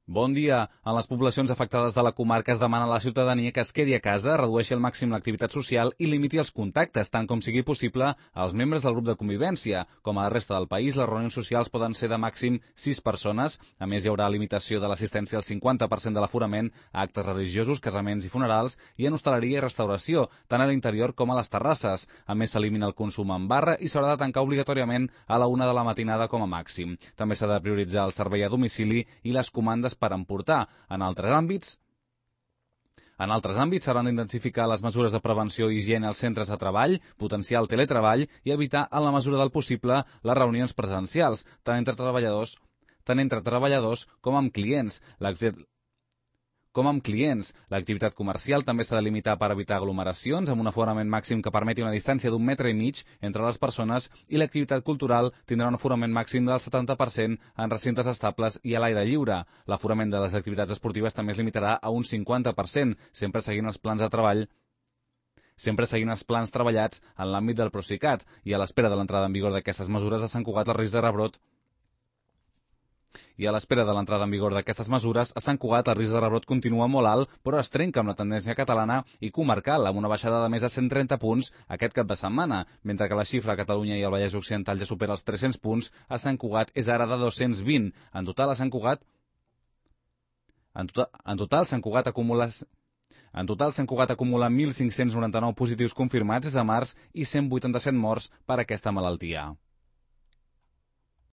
Bon dia. En les poblacions afectades de la comarca es demana a la ciutadania que es quedi a casa, redueixi al màxim l'activitat social i limiti els contactes, tant com sigui possible, als membres del grup de convivència. Com a la resta del país, les reunions socials poden ser de màxim 6 persones. A més, hi haurà limitació de l'assistència al 50% de l'aforament a actes religiosos, casaments i funerals i en hostaleria i restauració, tant a l'interior com a les terrasses. A més, s'elimina el consum en barra i s'haurà de tancar obligatòriament a la 1 de la matinada com a màxim. També s'ha de prioritzar el servei a domicili i les comandes per emportar. En altres àmbits s'hauran d'intensificar les mesures de prevenció i higiene als centres de treball, potenciar el teletreball i evitar, en la mesura del possible, les reunions presencials, tant entre treballadors com amb clients. L'activitat comercial també s'ha de limitar per evitar aglomeracions amb un aforament màxim que permeti una distància d'1,5 metres entre les persones, i l'activitat cultural tindrà un aforament màxim del 70% en recintes estables i a l'aire lliure. L'aforament de les activitats esportives també es limitarà a un 50%, sempre seguint els plans treballats en l'àmbit del Procicat, i a l'espera de l'entrada en vigor d'aquestes mesures a Sant Cugat el risc de rebrot continua molt alt, però es trenca amb la tendència catalana i comarcal, amb una baixada de més de 130 punts aquest cap de setmana, mentre que la xifra a Catalunya i al Vallès Occidental ja supera els 300 punts, a Sant Cugat és ara de 220. En total, Sant Cugat acumula 1.599 positius confirmats des de març i 187 morts per aquesta malaltia.